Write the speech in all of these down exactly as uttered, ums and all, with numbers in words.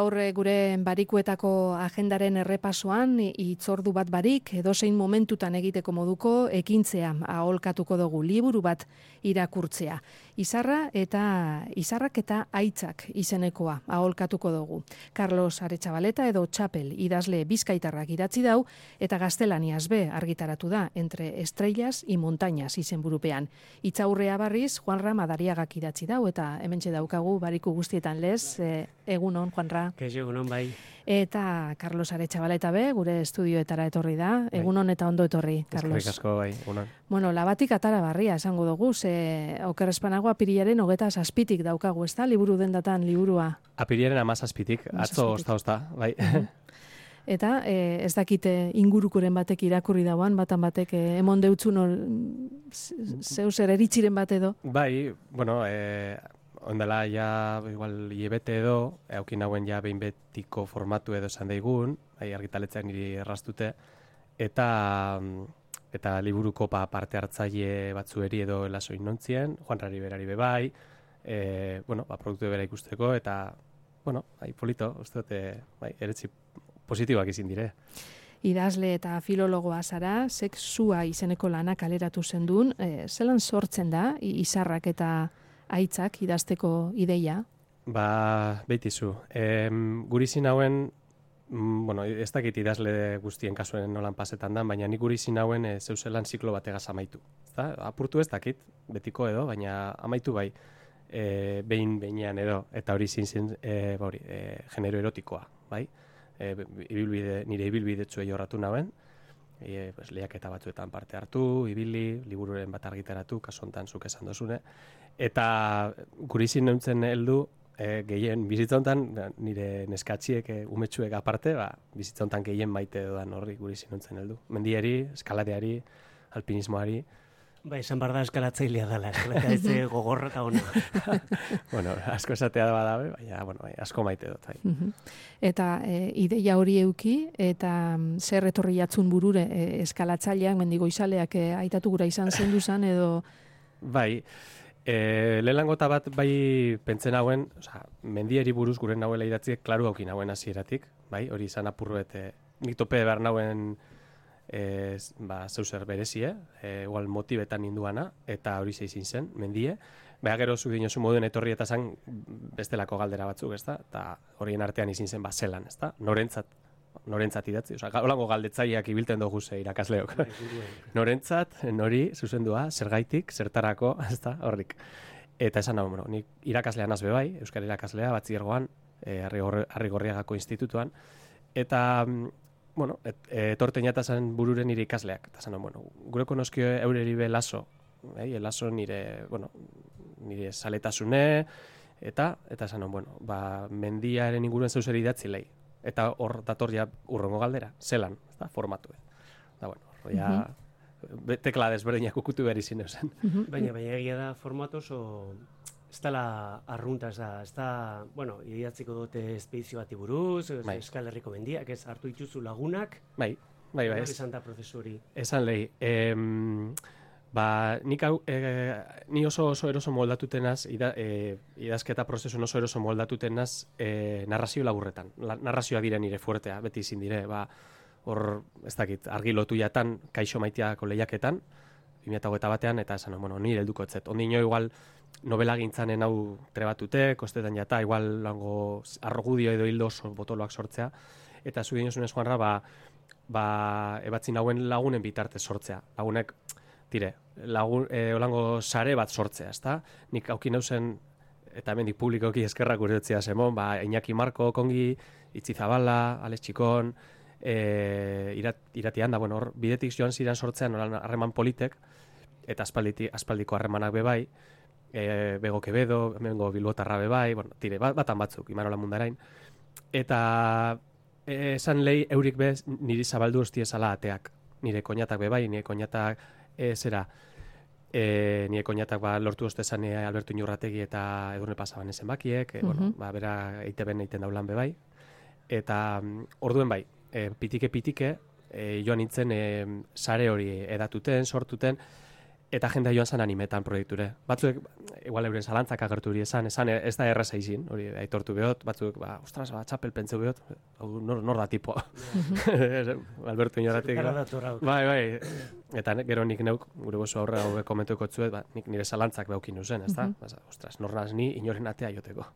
gaur gure barikuetako agendaren errepasoan hitzordu bat barik edozein momentutan egiteko moduko ekintzea aholkatuko dugu, liburu bat irakurtzea. Izarra eta izarrak eta aitzak izenekoa aholkatuko dugu. Carlos Aretxabaleta edo Txapel idazle bizkaitarrak idatzi dau eta gaztelaniaz be argitaratu da Entre estrellas y montañas izenburupean. Itzaurrea barriz Juanra Madariagak idatzi dau eta hementxe daukagu bariku guztietan lez, e, egunon Juanra. Kaixo, egunon bai. Eta Carlos Aretxabaleta be gure estudioetara etorri da. Egunon eta ondo etorri, Carlos. Eskerrik asko bai, egunon. Bueno, labatik atara barria esango dugu, ze oker espanago apirilaren hogeta zazpitik daukagu, ez da, liburu dendatan liburua? Apirilaren amazazpitik, atzo osta-osta, bai. Eta e, ez dakite ingurukoren batek irakurri dauan, batan batek e, emon deutzun or, zeu zer eritxiren bat edo? Bai, bueno, e, ondela ja igual hilebete edo, eukin hauen ja behin betiko formatu edo esan daigun, bai, argitaletzeak niri erraztute, eta eta liburuko pa, parte hartzaile batzueri edo elasoin nontzien, Juanrari berari bebai, e, bueno, ba, produktu bera ikusteko, eta, bueno, bai, polito, uste dute, bai, eretzi positiboak izin dire. Idazle eta filologoa zara, sexua izeneko lanak kaleratu zendun, e, zelan sortzen da, izarrak eta aitzak idazteko ideia? Ba, beitizu. E, gurizin hauen, bueno, ez dakit idazle guztien kasuen nolan pasetan da, baina nik gurizin hauen e, zeuzelan ziklo bategaz amaitu. Ezta? Apurtu ez dakit, betiko edo, baina amaitu bai, e, behin behinean edo, eta hori zintzen e, ba, e, genero erotikoa, bai? E, ibilbide, nire ibilbidetzuei horratu nauen, e, pues, lehiaketa batzuetan parte hartu, ibili, libururen bat argitaratu, kasontan zuk esan dozune, eta gurizin neuntzen heldu, e, gehien bizitzontan, nire neskatxiek, e, umetxuek aparte, ba, bizitzontan gehien maite dodan horri gurizin neuntzen heldu. Mendiari, eskaladeari, alpinismoari. Ba, esan barda eskalatzailea dela, eskalatzea gogorra eta hona. Bueno, asko esatea da badabe, baina, bueno, bai, asko maite dut. Bai. Eta e, ideia hori euki, eta zer etorri jatzun burure e, eskalatzaileak, mendigo izaleak e, aitatu gura izan zendu zan, edo... Bai, e, lehenangota bat bai pentzen hauen, oza, mendieri buruz gure nauela idatziek, klaru haukin hauen hasieratik, bai, hori izan apurruet, e, nik tope behar nauen e, ba, zeuzer berezie, e, igual motibetan induana, eta hori zeizin zen, mendie, beha gero zu dinosu moduen etorri eta zan bestelako galdera batzuk, ezta, eta horien artean izin zen, ba, zelan, ezta, norentzat, norentzat idatzi, oza, holango galdetzaileak ibilten dugu ze irakasleok. Norentzat, nori, zuzendua, zergaitik, zertarako, ezta, horrik. Eta esan hau, bueno, nik irakaslean azbe bai, Euskal irakaslea, batziergoan, e, Arrigorriagako institutuan, eta, bueno, et, etorten jatazan bururen nire ikasleak, eta esan hau, bueno, gure konoskio eureri be laso, eh, laso nire, bueno, nire saletasune, eta, eta esan hau, bueno, ba, mendiaren inguruen zeuseri idatzi lehi. Eta hor dator ja urrengo galdera, zelan, ezta, formatu. Da, bueno, hor ja uh -huh. tekla desberdinak ukutu behar izin eusen. Uh -huh. Baina, baina egia da formatu oso, ez dela arrunta, ez da, ez da, bueno, idatziko dute espedizio bati buruz, bai. Euskal Herriko mendiak, ez hartu dituzu lagunak. Bai, bai, bai. Esan da prozesu hori. Esan lehi, em, ba, nik hau, e, ni oso oso eroso moldatutenaz, ida, e, idazketa prozesun oso eroso moldatutenaz e, narrazio laburretan. La, narrazioa dire nire fuertea, beti izin dire, ba, hor, ez dakit, argi lotu jatan, kaixo maiteako lehiaketan, bi mila hogeita batean, eta esan, bueno, nire helduko etzet. Ondino igual novela gintzanen hau trebatute, kostetan jata, igual lango arrogudio edo hildo oso botoloak sortzea, eta zu dinozunez, Juanra, ba, ba, ebatzin hauen lagunen bitarte sortzea. Lagunek, tire, lagun, e, olango sare bat sortzea, ezta? Nik aukin nauzen, eta hemendik publikoki eskerrak urtetzea zemon, ba, Iñaki Marko, Kongi, Itzi Zabala, Alex Txikon, e, irat, iratian da, bueno, hor, bidetik joan ziren sortzean, oran harreman politek, eta aspalditi, aspaldiko harremanak bebai, e, Bego Quevedo, hemengo Bilbotarra bebai, bueno, tire, bat, batan batzuk, Imarola Mundarain, eta esan lehi eurik bez niri zabaldu hostiezala ateak, nire koñatak bebai, nire koñatak e, zera, e, nire koñatak ba, lortu ostezan e, Alberto Inurrategi eta Edurne Pasaban ezen bakiek, e, uh-huh. bueno, ba, bera eiteben eiten daulan bebai, eta um, orduen bai, e, pitike-pitike, e, joan nintzen e, sare hori edatuten, sortuten, eta jendea joan zen animetan proiekture. Batzuek, igual euren zalantzak agertu hori esan, esan ez da erraza izin, hori aitortu behot, batzuek, ba, ostras, ba, txapel pentseu behot, nor, nor da tipo. Alberto Inoratik. Bai, bai, eta gero nik neuk, gure bozu aurre hau komentuko tzuet, ba, nik nire zalantzak behaukin uzen, ez da? Uh -huh. Ostras, nor naz ni inoren atea joteko.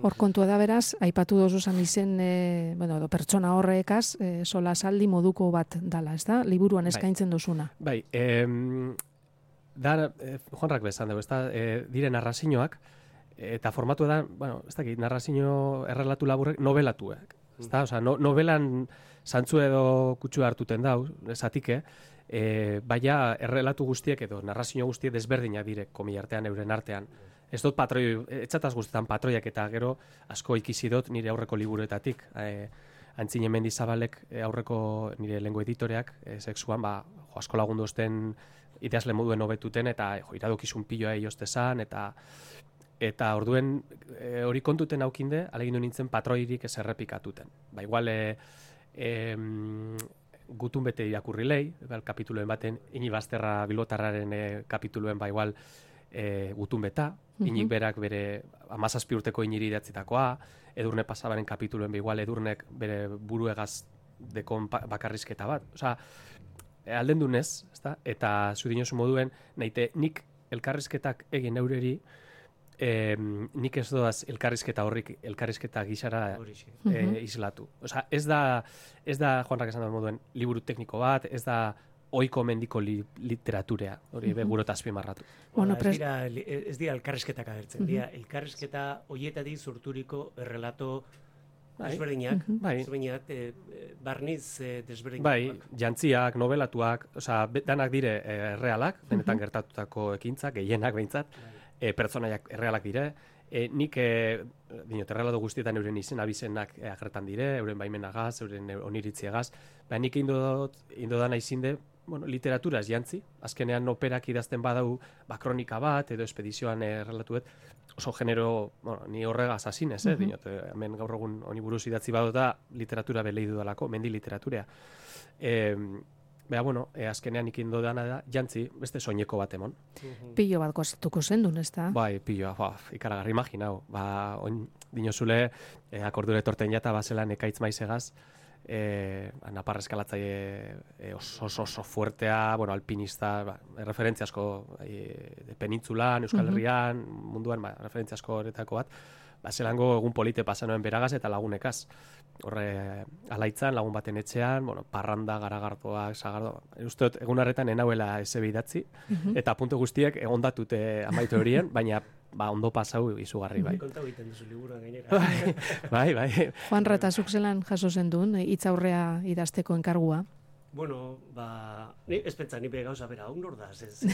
Hor kontua da beraz, aipatu dozu zan izen, e, bueno, do, pertsona horrekaz, e, sola saldi moduko bat dala, ez da? Liburuan eskaintzen dozuna. Bai, em, da, eh, Juanrak bezan dugu, ez da, eh, dire narrazioak, eta formatu da, bueno, ez dakit, narrazio errelatu laburrek, novelatuak. Ez da, osea, no, novelan zantzu edo kutsua hartuten dau, esatike, eh, baina errelatu guztiek edo narrazio guztiek desberdinak dire komiartean, euren artean. Ez dut patroi, etxataz guztetan patroiak eta gero asko ikizi dut nire aurreko liburuetatik. Eh, Antzine Mendizabalek aurreko nire lengo editoreak, eh, sexuan, ba, jo, asko lagundu osten idazle moduen hobetuten eta jo, iradokizun piloa eostezan eta eta orduen e, hori kontuten aukinde, alegindu nintzen patroirik ez errepikatuten. Ba, igual e, e, gutun bete irakurri lehi, ba, kapituluen baten, ini bazterra bilbotarraren e, kapituluen ba igual e, gutun beta, uh-huh. inik berak bere amazazpi urteko iniri idatzitakoa, Edurne Pasabaren kapituluen ba igual Edurnek bere buruegaz dekon bakarrizketa bat. Osea, alden dunez, ezta? Eta zu dinosu moduen, naite nik elkarrizketak egin eureri, eh, nik ez doaz elkarrizketa horrik, elkarrizketa gizara eh, islatu. Osea, ez da, ez da, Juanrak esan dut moduen, liburu tekniko bat, ez da oiko mendiko li, literaturea, hori uh-huh. begurot azpimarratu. Bueno, ez, dira, ez dira elkarrizketak agertzen, uh-huh. dira elkarrizketa hoietatik sorturiko errelato desberdinak, bai. desberdinak, e, barniz e, desberdinak. Bai, jantziak, novelatuak, osea, danak dire e, errealak, benetan uh-huh. gertatutako ekintzak, gehienak behintzat, bai. e, pertsonaiak errealak dire, e, nik, e, dinot, errelatu guztietan euren izen abizenak e, agertan dire, euren baimenagaz, euren oniritziagaz, ba, nik indodot, indodana izinde, bueno, literaturaz jantzi, azkenean operak idazten badau, ba, kronika bat, edo espedizioan errelatuet, oso genero, bueno, ni horregaz asinez, eh, uh-huh. dinot, hemen gaur egun honi buruz idatzi badota literatura belei dudalako, mendi literaturea. Eh, Bea, bueno, eh, azkenean ikindo dana da, jantzi, beste soineko bat emon. Uh-huh. Pilo bat gozatuko zendun, ez da? Bai, pilloa, ba, ikaragarri imaginau. Ba, oin, dinozule, eh, akordure torten jata, bazelan ekaitz maizegaz, eh, napar eskalatzaile eh, oso, oso, oso fuertea, bueno, alpinista, ba, referentzia asko eh, penintzulan, Euskal Herrian, uh-huh. munduan, ba, referentzia asko horretako bat, ba, zelango egun polite pasanoen beragaz eta lagunekaz. Horre, alaitzan, lagun baten etxean, bueno, parranda, garagardoak, sagardo, uste egun harretan enauela ese bidatzi, uh-huh. eta puntu guztiek egondatute amaitu horien, baina ba, ondo pasau izugarri, bai. Konta egiten duzu liburuan gainera. Bai, bai. Juan Retazuk zelan jaso zendun, hitz aurrea idazteko enkargua? Bueno, ba, ni ez pentsa, ni be gauza bera, hau nor da, ez.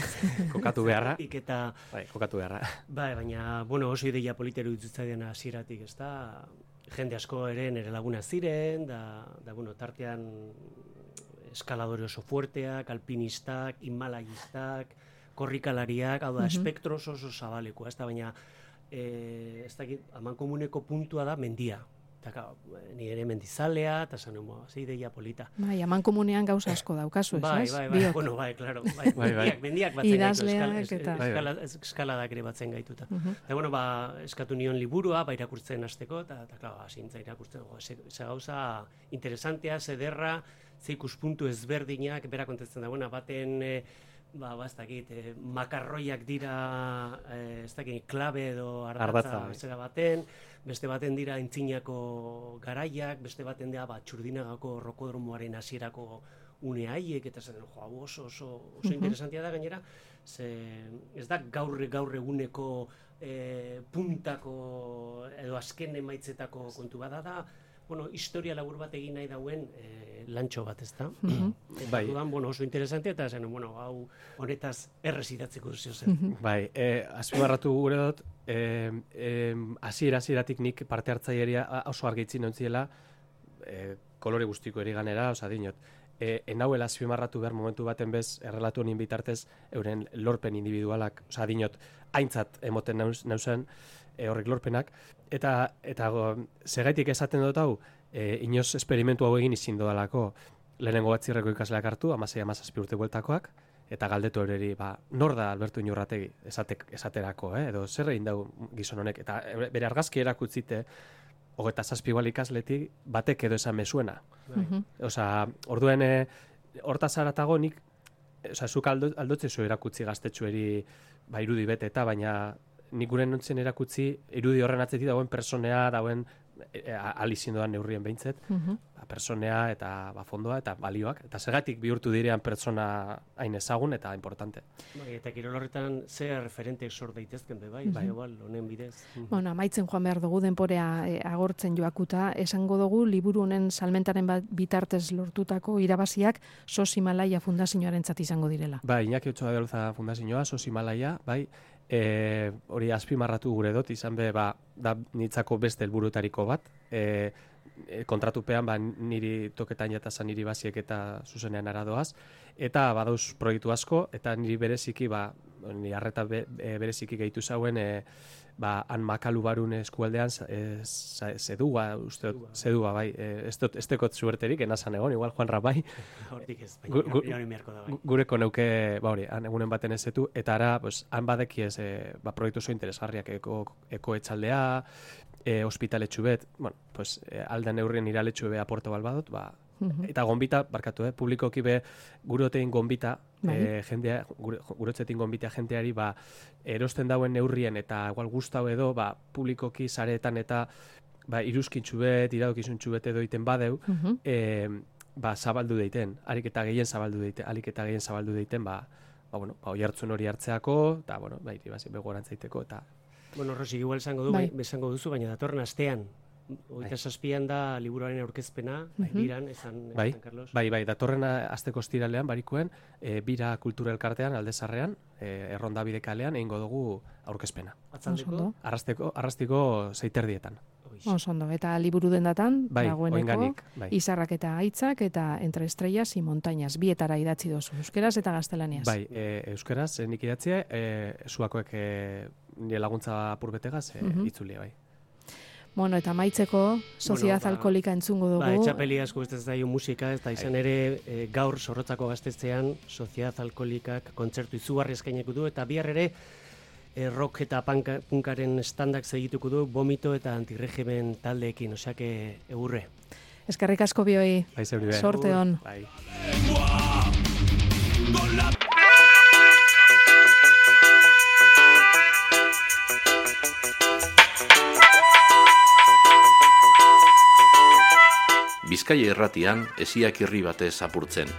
Kokatu beharra. Eta, bai, kokatu beharra. Bai, baina, bueno, oso ideia politeru ditzutzaidan hasieratik, ez da, jende asko ere nere laguna ziren, da, da bueno, tartean eskaladore oso fuerteak, alpinistak, inmalayistak, korrikalariak, hau da, uh-huh. espektro oso oso zabaleko, ez da, baina, e, ez dakit, amankomuneko puntua da mendia. Eta, ni ere mendizalea, eta zan, ze ideia polita. Bai, amankomunean gauza asko daukazu, ez? Bai, bai, bai, bueno, bai, claro, bai, bai, mendiak, mendiak batzen gaitu, eskala, eskaladak ere batzen gaituta. Uh-huh. Eta, bueno, ba, eskatu nion liburua, ba, irakurtzen hasteko, eta, eta, klaro, asintza irakurtzen, go, ze, ze gauza interesantea, zederra, ze ikuspuntu ezberdinak, bera kontetzen da, bueno, baten, e, ba, ba, ez dakit, e, makarroiak dira, e, ez dakit, klabe edo ardatza, zera baten, beste baten dira Aintzinako garaiak, beste baten dira ba, Txurdinagako rokodromoaren hasierako une haiek, eta zen, jo, oso, oso, oso interesantia da gainera, ze ez da gaur gaur eguneko e, puntako edo azken emaitzetako kontu bada da, bueno, historia labur bat egin nahi dauen e, lantxo bat, ez da? Uh-huh. Eta dudan, bueno, oso interesantia, eta zen, bueno, hau honetaz errez idatzeko zio zen. Uh-huh. Bai, e, azpimarratu gure dut, hasiera hasieratik nik parte hartzaileria oso argitzen ontziela, e, kolore guztiko eri ganera, oza, dinot, e, enauela azpimarratu behar momentu baten bez, errelatu honin bitartez, euren lorpen individualak, oza, dinot, aintzat emoten nauz, nauzen, e, horrek lorpenak, eta, eta go, segaitik esaten dut hau, e, inoz esperimentu hau egin izin dodalako, lehenengo batzirreko ikasleak hartu, amasei amazazpi urte bueltakoak, eta galdetu hori, ba, nor da Alberto Iñurrategi esatek, esaterako, eh? Edo zer egin dau gizon honek, eta bere argazki erakutzite, hogeita zazpi igual ikasletik, batek edo esan mezuena. Mhm. Osea, orduen, eh, hortaz haratago nik, osea, zuk aldo, aldotzezu erakutzi gaztetxueri, ba, irudi bete eta, baina nik gure nontzen erakutzi, irudi horren atzetik dagoen personea, dagoen e, alizien doan neurrien behintzet, Mhm. ba, personea eta ba, fondoa eta balioak, eta segatik bihurtu direan pertsona hain ezagun eta importante. Bai, eta kirol horretan ze referenteek sor daitezken be bai, Mhm. igual honen bidez. Bueno, amaitzen joan behar dugu denporea e, agortzen joakuta, esango dugu liburu honen salmentaren bat bitartez lortutako irabaziak Sos Himalaya Fundazioarentzat izango direla. Bai, Iñaki Otxoa de Aluza Fundazioa, Sos Himalaya, bai, e, hori azpimarratu gure dut, izan be, ba, da nitzako beste helburutariko bat, e, e, kontratupean, ba, niri toketain eta niri basiek eta zuzenean aradoaz, eta badauz proiektu asko, eta niri bereziki, ba, niri arreta be, e, bereziki gehitu zauen, e, ba, han Makalu barun eskualdean e, zedua, uste, zedua, bai, e, ez dut, ez dekot zuerterik, enazan egon, igual Juanra bai, Hortik ez, Gu- gu- baina hori beharko da bai. gureko neuke, ba hori, han egunen baten ezetu, eta ara, pues, han badeki ez, e, ba, proiektu zo interesgarriak, eko, eko etxaldea, e, ospitaletxu bet, bueno, pues, e, alda neurrien iraletxu be aporto balbadot, ba, Mhm. eta gonbita, barkatu, eh, publikoki be, gurotein gonbita, Bai. e, jendea, gure, gurotzetin gonbita jenteari, ba, erosten dauen neurrien, eta igual gustau edo, ba, publikoki saretan eta, ba, iruzkintxu bet, iradokizuntxu bet edo iten badeu, Mhm. e, ba, zabaldu deiten, harik eta gehien zabaldu deiten, harik eta gehien zabaldu deiten, ba, ba, bueno, ba, oihartzun hori hartzeako, eta, bueno, ba, iri basi begoarantzaiteko, eta, Bueno, Rosi, igual esango du, Bai. bai. esango duzu, baina datorren astean, hogeita zazpian da liburuaren aurkezpena, bai, Mhm. biran, esan, bai, esan Carlos. bai, bai, datorren asteko ostiralean, barikuen, e, bira kultura elkartean, aldezarrean, e, erronda bidekalean, egingo dugu aurkezpena. Atzaldeko, Oso ondo. Arrasteko, arrastiko zeiterdietan. Hoixe. Oso ondo, eta liburu dendatan, Bai, dagoeneko, oinganik, bai. izarrak eta aitzak, eta entre estrellas y montañas, bietara idatzi dozu, euskeraz eta gaztelaniaz. Bai, e, euskeraz, e, nik idatzia, e, zuakoek e, nire laguntza apurbetegaz, e, Mhm. itzulia, bai. Bueno, eta amaitzeko, Sociedad ba, Alkolika entzungo dugu. Ba, etxapeli asko ez zaio musika, eta izan ere e, gaur Zorrotzako gaztetzean Sociedad Alkolikak kontzertu izugarri eskaineko du, eta bihar ere e, rock eta panka, punkaren standak segituko du, vomito eta antiregimen taldeekin, oseake egurre. Eskerrik asko bioi, Bai, zeuri be. sorte on. Bai. Bizkaia irratian, esiak irri batez apurtzen.